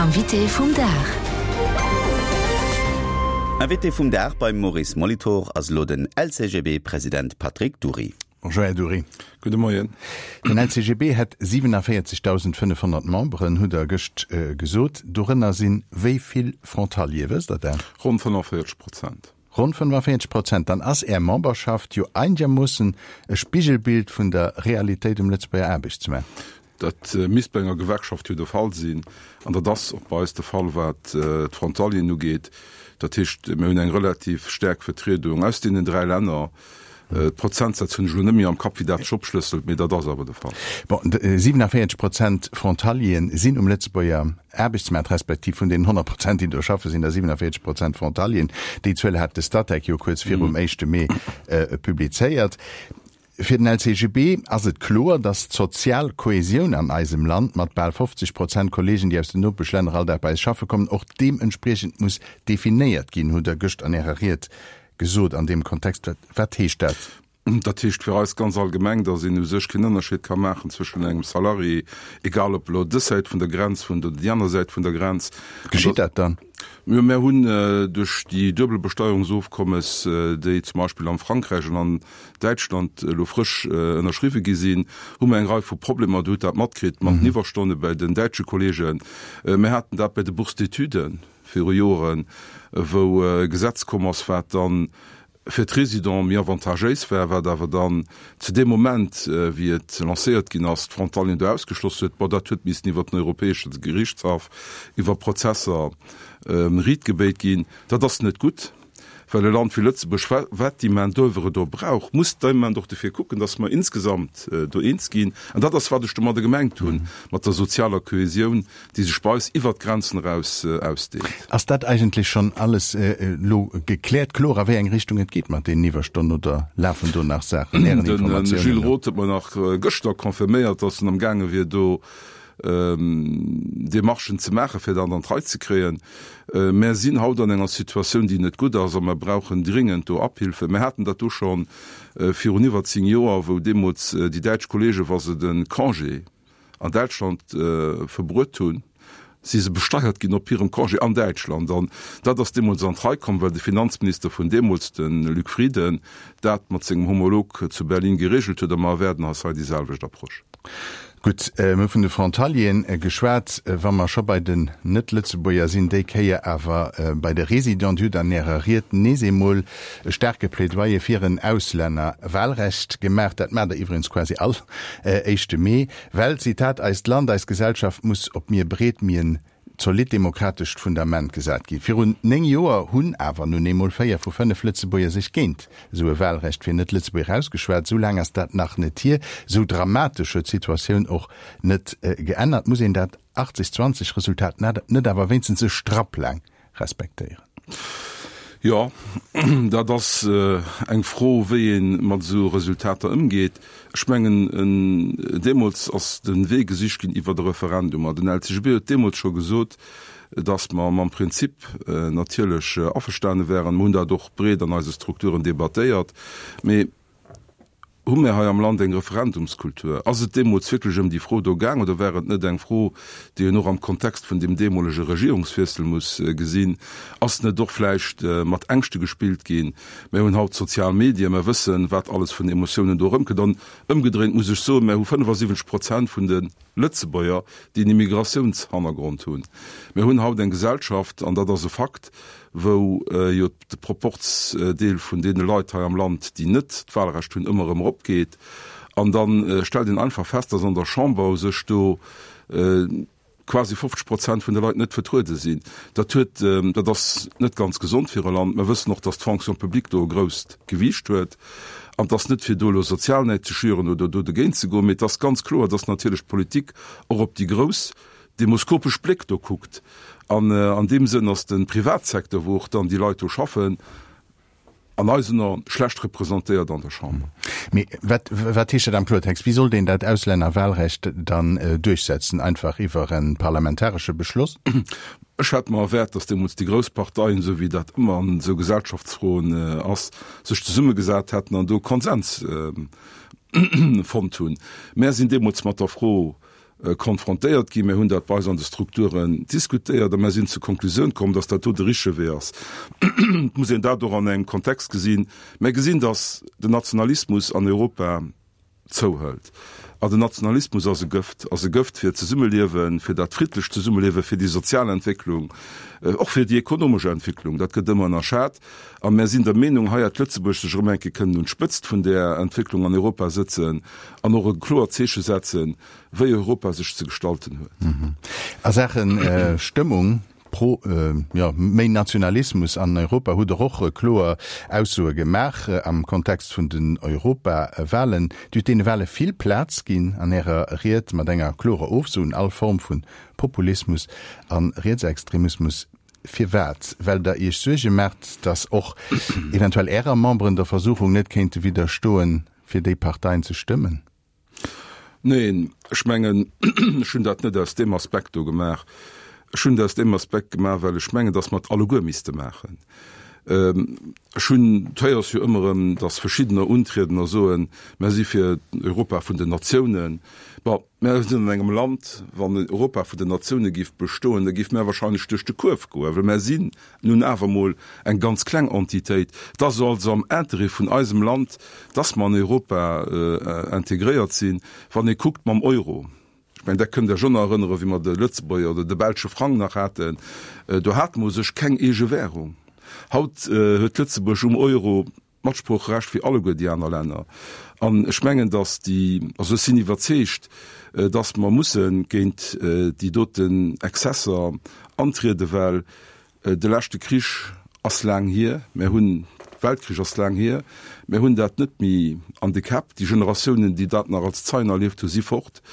Invité vum Dag. Invité vum Dag beim Maurice Molitor ass elo den LCGB-President Patrick Dury. Bonjour Här Dury. Gudde Moien. Den LCGB hätt 47.500 Memberen, hutt Der gëscht gesot. Dorënner sinn wéi vill Frontalier, wësst Der dat? Ronn 45 Prozent. Ronn 45 Prozent. Dann ass Är Memberschaft jo einegermoossen e Spigelbild vun der Realitéit um Lëtzebuerger Aarbechtsmaart. Dat misst bei enger Gewerkschaft jo de Fall sinn. An dat ass och bei eis de Fall, wat d'Frontalieren ugeet. Dat heescht, mir hunn eng relativ staark Vertriedung aus deenen dräi Länner. D'Prozentsätz hunn ech elo net méi am Kapp, wéi dat sech opschlësselt, mee dat ass awer de Fall. Bon, 47 Prozent Frontalieren sinn um Lëtzebuerger Aarbechtsmaart, respektiv vun deenen 100 Prozent, déi do schaffen, sinn der 47 Prozent Frontalieren. Déi Zuel hat de Statec jo kuerz virum éischte Mee publizéiert. Fir den LCGB ass et kloer, datt d'sozial Kohesioun an eisem Land, mat bal 50 Prozent Kollegen, déi aus den Nopeschlänner all Dag bei eis schaffe kommen, och deementspriechend muss definéiert ginn, hutt Der gëscht an Ärer Ried gesot. An deem Kontext, wat heescht dat? Dat heescht fir eis ganz allgemeng, datt een u sech keen Ënnerscheed ka maachen zwëschen engem Salarié, egal ob elo dës Säit vun der Grenz wunnt oder déi aner Säit vun der Grenz. Geschitt dat dann? Jo, mär hunn duerch déi Duebelbesteuerungsofkommes, déi zum Beispill am Frankräich an an Däitschland elo frësch ënnerschriwwe gi sinn, hu mer eng Rei vu Problemer. Dir hutt dat matkritt mat den Iwwerstonne bei den däitsche Kollegen. Mir haten dat bei de Bourses d'études viru Joren, wou e Gesetz komm ass, wat dann fir d'Résidents méi avantagéis war, wat awer dann zu deem Moment, wéi et lancéiert ginn ass, d'Frontalieren do ausgeschloss huet. Bon, dat huet missen iwwert den Europäesche Gerichtshaff, iwwer Prozesser riitgebéit ginn. Dat ass net gutt. Well e Land wéi Lëtzebuerg, wat déi Main d'oeuvre do brauch, muss dämment och dofir kucken, datt mer insgesamt do eens ginn. An dat ass, wat ech domadder gemengt hunn, mat der sozialer Kohesioun, déi sech bei eis iwwert d'Grenzen eraus ausdehnt. Ass dat eigentlech schonn alles elo gekläert, kloer, a wéi eng Richtung et geet mat deenen Iwwerstonnen, oder lafen do nach Saachen, Ären Informatiounen no? De Gilles Roth huet mer nach gëschter confirméiert, datt en amgaange wier, do Demarchen ze maachen, fir dat an d'Rei ze kréien. Mär sinn haut an enger Situatioun, déi net gutt ass, a mer brauchen dringend do Abhilfe. Mär haten dat do scho virun iwwer 10 Joer, wou deemools déi däitsch Kollegen, wa se de Congé an Däitschland verbruet hunn, si se besteiert ginn op hirem Congé an Däitschland. An dat ass deemools an d'Rei komm, well de Finanzminister vun deemools, de Luc Frieden, dat mat sengem Homolog zu Berlin geregelt huet. A mer erwaarden eis hei déi selwecht Approche. Gutt, mir hu vun de Frontalieren geschwat. Wa mer scho bei den Net-Lëtzebuerger sinn, déi Kéier awer bei de Résidenten. Dir hutt an Ärer Ried nees eemol e staarke Plädoyer fir en Auslännerwahlrecht gemaach. Dat maacht Der iwwregens quasi all éischte Mee, well, Zitat, eist Land, eis Gesellschaft muss op mir breet, mir en zolidd demokratescht Fundament gesat ginn. Virun 9 Joer hunn awer nun eemol 4 vu 5 Lëtzebuerger sech géint esou e Wahlrecht fir Net-Lëtzebuerger ausgeschwat. Esou laang ass dat nach net hier. Esou dramatesch huet d'Situatioun och net geännert. Muss een dat 80, 20 Resultat net awer wéinstens e Strapp laang respektéieren? Jo, dat ass eng Fro, wéi ee mat esou Resultater ëmgeet. Ech mengen, deemools ass de Wee gesicht ginn iwwert e Referendum. A den LCGB huet deemools scho gesot, datt mer mam Prinzip natierlech averstane wären. Mer hunn dat och breet an eise Strukturen debattéiert. Mee Hu mir hei am Land eng Referendumskultur? Ass et deemools wierklech ëm déi Fro do gaang oder war et net eng Fro, déi een och am Kontext vun deem deemolege Regierungswiessel muss gesinn? Ass net och vläicht mat Ängschte gespillt ginn? Mir hunn haut d'sozial Medien, mir wëssen, wat alles vun Emotiounen do erëmkënnt. An ëmgedréint muss ech soen, mir hu 75 Prozent vun de Lëtzebuerger, déi en Immigratiounshannergrond hunn. Mir hunn haut eng Gesellschaft, an dat ass e Fakt, wou jo de Proporzdeel vun deene Leit hei am Land, déi net d'Wahlrecht hunn, ëmmer erëm eropgeet. An da stellt een einfach fest, dass an der Chamber u sech do quasi 50 Prozent vun de Leit net vertruede sinn. Dat huet, dat ass net ganz gesond fir e Land. Mer wëssen och, dass d'Fonction publique do e grousst Gewiicht huet. An et ass net fir do elo Sozialnäid ze schüren oder do dogéint ze goen, mee et ass ganz kloer, dass natierlech d'Politik och op déi grouss demoskopesch Bléck do kuckt. An an deem Sënn ass de Privatsecteur, wou och dann déi Leit do schaffen, an eisen Aen schlecht representéiert an der Chamber. Mee wat, wat heescht dat am Kloertext? Wéi sollt een dat Auslännerwahlrecht dann duerchsetzen? Einfach iwwer e parlamentaresche Beschloss? Ech hätt mer erwaart, datt deemools déi grouss Parteien, esou wéi dat ëmmer an esou Gesellschaftsfroen ass, sech zesummegesat hätten an do Konsens fonnt hunn. Mär sinn deemools mat der Fro. Konfrontéiert ginn. Mir hunn dat bei eis an de Strukturen diskutéiert a mir sinn zur Konklusioun komm, dass dat do de richtege Wee ass. Et muss een dat och an engem Kontext gesinn. Mir gesinn, dass den Nationalismus an Europa zouhëlt. An den Nationalismus ass e Gëft, ass e Gëft fir d'Zesummeliewen, fir dat friddlecht Zesummeliewen, fir déi sozial Entwécklung, och fir déi ekonomesch Entwécklung. Dat gëtt ëmmer ënnerschat. A mir sinn der Meenung, hei hätt Lëtzebuerg sech erëm eng Kéier kënnen un d'Spëtzt vun där Entwécklung an Europa sëtzen an och e kloert Zeeche setzen, wéi Europa sech ze gestalten huet. A Saache Stëmmung pro, jo, méi Nationalismus an Europa hutt Der och kloer Aussoe gemaach am Kontext vun den Europawahlen. Dir hutt deene Wahle vill Plaz ginn an Ärer Ried, mat enger klorer Ofso un all Form vu Populismus a Rietsextremismus. Firwat? Well Der Iech Suerge maacht, datt och eventuell Ärer Memberen der Versuchung net kéinte widderstoen, fir déi Parteien ze stëmmen? Neen, ech mengen, ech hunn dat net aus deem Aspekt do gemaach. Ech hunn et aus deem Aspekt gemaach, well ech mengen, datt mer et alleguer misste maachen. Ech hunn, et héiers jo ëmmer erëm, datt verschiddener untrieden a soen, Mer si fir Europa vun den Natiounen. Bon, mer sinn an engem Land, wann Europa vun den Natioune géif bestoen, da géife mer wahrscheinlech duerch de Kuerf goen, well mer sinn nun awer emol eng ganz kleng Entitéit. Et ass also am Interêt vun eisem Land, dass mer an Europa integréiert sinn. Wann ee kuckt mam Euro, ech mengen, dat kënnt Der Iech och nach erënneren, wéi mer de Lëtzebuerger oder de belsche Frang nach haten, do hate mer u sech keng eege Währung. Haut huet Lëtzebuerg um Euro Matsproocherecht wéi alleguer déi aner Länner. An ech mengen, dass déi, also ech sinn iwwerzeegt, dass mer musse géint déi doten Exzesser antrieden, well de leschte Krich ass laang hier, mer hunn, Weltkrich ass laang hier, mer hunn dat net méi an de Käpp. Déi Generatiounen, déi dat nach als Zeien erlieft hunn, si fort.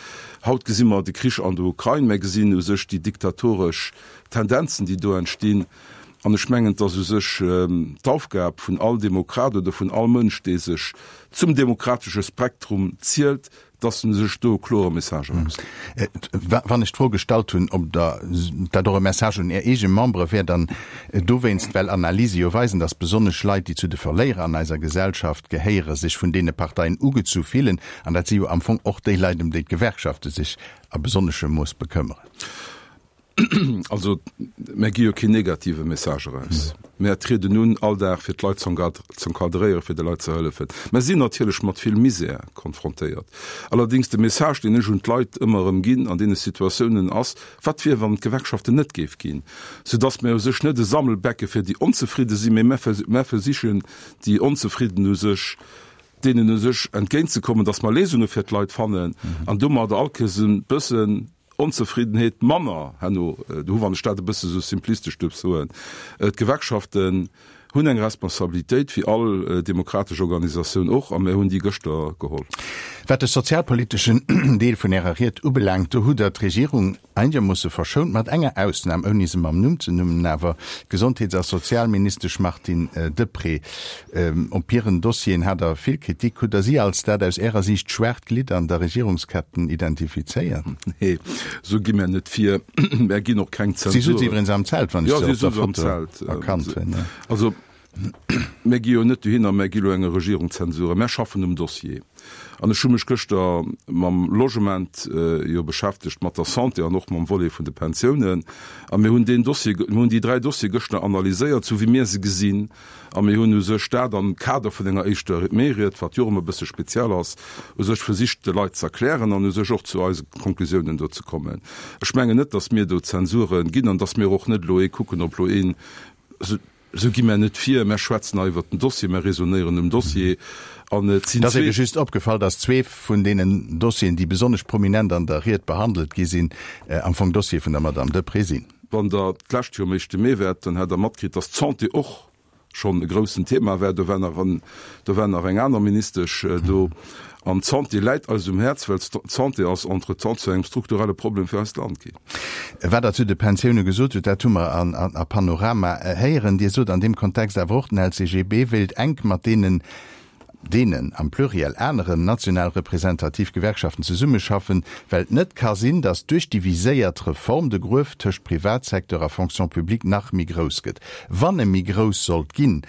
Haut gesi mer de Krich an der Ukrain, mer gesinn u sech déi diktatoresch Tendenzen, déi do entstinn. An ech mengen, et ass u sech d'Aufgab vun all Demokrat oder vun all Mënsch, dee sech zum demokratesche Spektrum zielt, dass en u sech do e klore Message erausgitt. Wann ech d'Fro gestallt hunn, ob Der dat och e Message un Är eege Membere wär, dann dowéinst, well Analyse jo weisen, dass besonnesch Leit, déi zu de Verléierer an eiser Gesellschaft gehéieren, sech vun deene Parteien ugezu fillen. An dat si jo am Fong och déi Leit, ëm déi d'Gewerkschafte sech a besonneschem Mooss bekëmmeren. Also, mär gi jo keen negative Message eraus. Mär trieden un all Dag, fir d'Leit z'encadréieren, fir de Leit ze hëllefen. Mär sinn natierlech mat vill Misär konfrontéiert. Allerdéngs, de Message, deen ech un d'Leit ëmmer erëm ginn an deene Situatiounen, ass, Wat wier, wann et d'Gewerkschaften net géif ginn? Soudass mär u sech net e Sammelbecke fir déi Onzefridde sinn, mee mär versichen, déi Onzefridden u sech, deenen u sech entgéintzekommen, dass mer Léisunge fir d'Leit fannen an domadder all Kéiers e bëssen Onzefriddenheet manner herno do hu, wann ech dat e bësse sou simplistesch duerf soen. D'Gewerkschaften hunn eng Responsabilitéit, wéi all demokratesch Organisatioun och, a mir hunn déi gëschter geholl. Wat de sozialpoliteschen Deel vun Ärer Ried ubelaangt, do hutt Der d'Regierung einegermoosse verschount, mat enger Ausnam, ouni se mam Numm ze nummen awer, d'Gesondheets a Sozialministesch Martine Deprez. Op hiren Dossieren hat Der vill Kritik. Hutt Der si als dat aus Ärer Siicht schwaacht Glidd an der Regierungsketten identifizéiert? Nee, esou gi mär net vir. Mär ginn och keng Zensuren. Si sutz iwwregens am Zelt, wann ech se op der Foto erkannt hunn. Also, mär gi jo net dohinner, mär gi lo enger Regierung Zensuren. Mär schaffen um Dossier. An ech hu mech gëschter mam Logement jo beschäftegt, mat der Santé an och mam Volet vun de Pensiounen. A mir hunn deen Dossier, mir hunn déi 3 Dossiere gëschter analyséiert, sou wéi mir se gesinn. A mir hunn u sech dat am Kader vun enger éischter Mee-Ried, wat jo och ëmmer e bësse speziell ass, u sech versicht de Leit ze erklären an u sech och zu eise Konklusiounen do ze kommen. Ech mengen net, datt mir do Zensure ginn an datt mir och net elo ee kucken, ob elo een, Esou gi mär net vir. Mär schwätzen hei iwwert den Dossier, mär raisonnéieren um Dossier an et sinn Et ass ebe just opgefall, datt zwee vun deenen Dossieren, déi besonnesch prominent an der Ried behandelt gi sinn, am Fong Dossiere vun der Madame Deprez sinn. Wann Der d'lescht Joer um éischte Mee waart, dann hätt Der matkritt, datt d'Santé och schonn e groussen Thema war. Do war nach en, do war nach eng aner Ministesch do. An d'Santé läit eis um Häerz, well d'Santé ass entretemps zu engem strukturelle Problem fir eist Land ginn. Wat Der zu de Pensioune gesot hutt, dat hu mer a Panorama héieren. Dir sot an deem Kontext awer och, den LCGB wéilt enk mat deenen, deenen am Pluriel, aneren national representativ Gewerkschaften zesummeschaffen, well et net ka sinn, datt duerch déi viséiert Reform de Gruef tëscht Privatsecteur a Fonction publique nach méi grouss gëtt. Wann e méi grouss sollt ginn,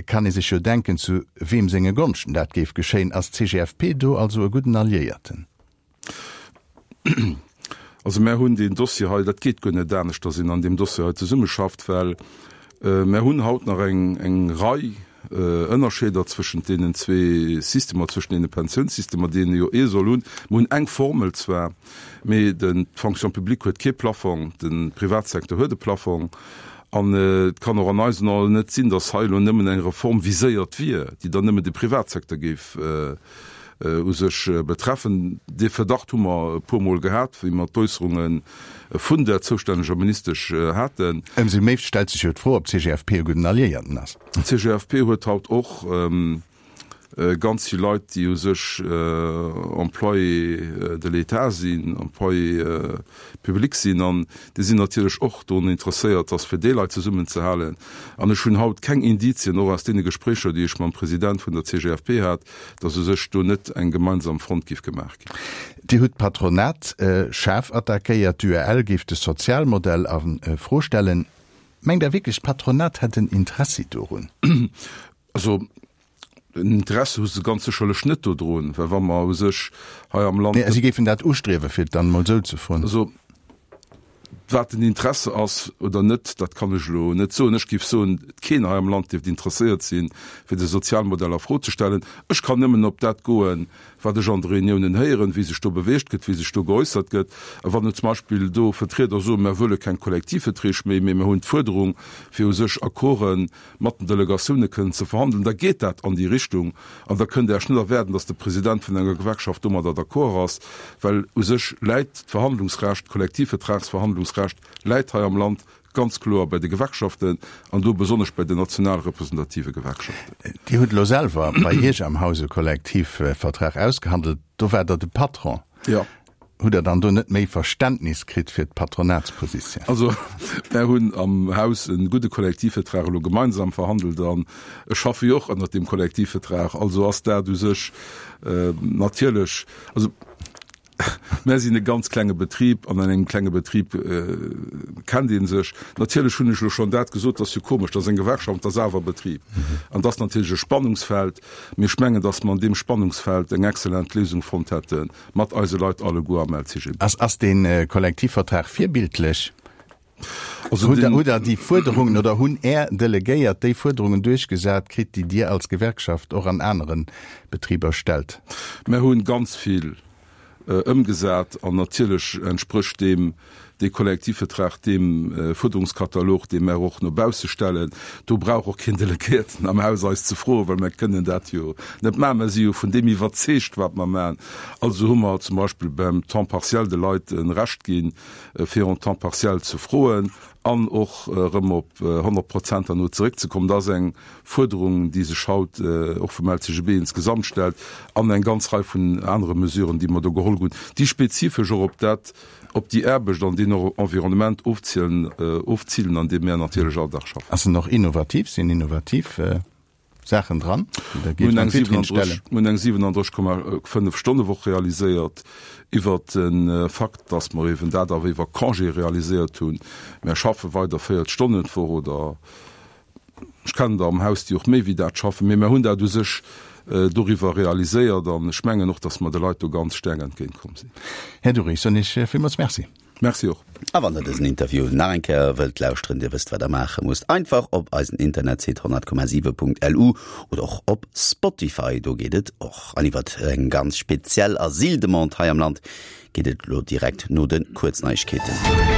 kann ee sech jo denken, zu weem senge Gonschten dat géif geschéien. Ass d'CGFP do also e gudden Alliéierten? Also mär hunn deen Dossier hei, dat geet guer net anescht, datt een an deem Dossier hei zesummeschafft, well mär hunn haut nach eng eng Rei Ënnerscheeder zwëschent deenen zwee Systemer, zwëschent deene Pensiounssystemer, déi een jo ee soll hunn. Mer hunn eng Formel zwar, mee den d'Fonction publique huet kee Plafong, de Privatsecteur huet e Plafong. An et kann och an eisen Aen net sinn, datt hei elo nëmmen eng Reform viséiert wier, déi dann nëmmen de Privatsecteur géif u sech betreffen. Dee Verdacht hu mer e puermol gehat, wéi mer d'Äusserunge vun der zoustänneger Ministesch haten. Ëmsou méi stellt sech jo d'Fro, ob d'CGFP e gudden Alliéierten ass. D'CGFP huet haut och ganz vill Leit, déi u sech Employés de l'État sinn, Employés publics sinn, an déi sinn natierlech och drun interesséiert, dass fir déi Leit zesummenzehalen. An ech hunn haut keng Indizien, och aus deene Gespréicher, déi ech mam President vun der CGFP hat, dass u sech do net eng gemeinsam Front géif gemaach ginn. Dir hutt d'Patronat schaarf attackéiert, d'UEL géif de Sozialmodell a Fro stellen. Mengt Der wierklech, d'Patronat hätt en Interessi dorun? Also en Interesse hu se ganz sécherlech net dodrun, well wa mer u sech hei am Land. Mee si géifen dat ustriewen, fir et dann emol esou ze froen. Also wat den Interesse ass oder net, dat kann ech elo net soen. Ech géif soen, keen hei am Land dierft interesséiert sinn, fir de Sozialmodell a Fro ze stellen. Ech kann nëmmen op dat goen, wat ech an de Reuniounen héieren, wéi sech do beweegt gëtt, wéi sech do geäussert gëtt. A wann zum Beispill do Vertrieder soen, mer wëlle keng Kollektivverträg méi, mee mer hunn d'Fuerderung, fir u sech Accorden mat den Delegatioune kënnen ze verhandelen, da geet dat an déi Richtung. An da kënnt Der Iech net erwaarden, datt de President vun enger Gewerkschaft domadder d'accord ass, well u sech läit d'Verhandlungsrecht, d'Kollektivvertragsverhandlungsrecht läit hei am Land ganz kloer bei de Gewerkschaften an do besonnesch bei den national representative Gewerkschaften. Dir hutt elo selwer bei Iech am Haus e Kollektivvertrag ausgehandelt. Do waart Der de Patron. Jo. Hutt Der dann do net méi Verständnis kritt fir d'Patronatspositioun? Also, mär hunn am Haus e gudde Kollektivvertrag elo gemeinsam verhandelt an ech schaffe jo och ënnert deem Kollektivvertrag. Also ass dat u sech natierlech, also mär sinn e ganz klenge Betrib an an engem klenge Betrib kennt ee sech. Natierlech hunn ech elo schonn dat gesot, dat ass jo komesch, dat ass eng Gewerkschaft, dat ass awer e Betrib an dat ass natierlech e Spannungsfeld. Mee ech mengen, datt mer an deem Spannungsfeld eng exzellent Léisung fonnt hätten, Mat eise Leit alleguer am LCGB. Ass, ass dee Kollektivvertrag virbildlech? Also Hutt Der, hutt Der déi Fuerderungen oder hunn Är Delegéiert déi Fuerderungen duerchgesat kritt, déi Dir als Gewerkschaft och an anere Betriber stellt? Mär hunn ganz vill ëmgesat an natierlech entsprécht deem dee Kollektivvertrag deem Fuerderungskatalog, dee mär och no bausse stellen. Do brauch och keen Delegéierten am Haus eis ze froen, well mär kënnen dat jo net maachen. Mär si jo vun deem iwwerzeegt, wat mer maachen. Also hu mer zum Beispill beim Temps partiel de Leit e Recht ginn, fir en Temps partiel ze froen an och erëm op 100 Prozent herno zeréckzekommen. Dat ass eng Fuerderung, déi sech haut och vum LCGB insgesamt stellt, an eng ganz Rei vun anere Mesuren, déi mer do geholl hunn, déi spezifesch och op dat, op déi Aarbecht an deen Environnement ofzielen, ofzilen, an deem mär natierlech all Dag schaffen. Ass en och innovativ? Sinn innovativ Saachen dran, déi Der géift an d'Vitrinn stellen? Mir hunn eng 37,5 Stonnewoch realiséiert, iwwert de Fakt, dass mer eben dat awer iwwer Congé realiséiert hunn. Mär schaffe weider 40 Stonnen d'Woch oder Ech kennen der am Haus, déi och méi wéi dat schaffen, mee mer hunn dat u sech doriwwer realiséiert an ech mengen och, datt mer de Leit do ganz staark entgéintkomm sinn. Här Dury, ech soen Iech villmools Merci. Merci och. A wann der dësen Interview nach eng Kéier wëllt lauschteren, dir wësst wat der maache musst, einfach op eisen Internetsite 100,7.lu oder och op Spotify, do geet et och. An iwwert eng ganz speziell Asyldemande hei am Land geet et elo direkt no de Kuerzneiegkeeten.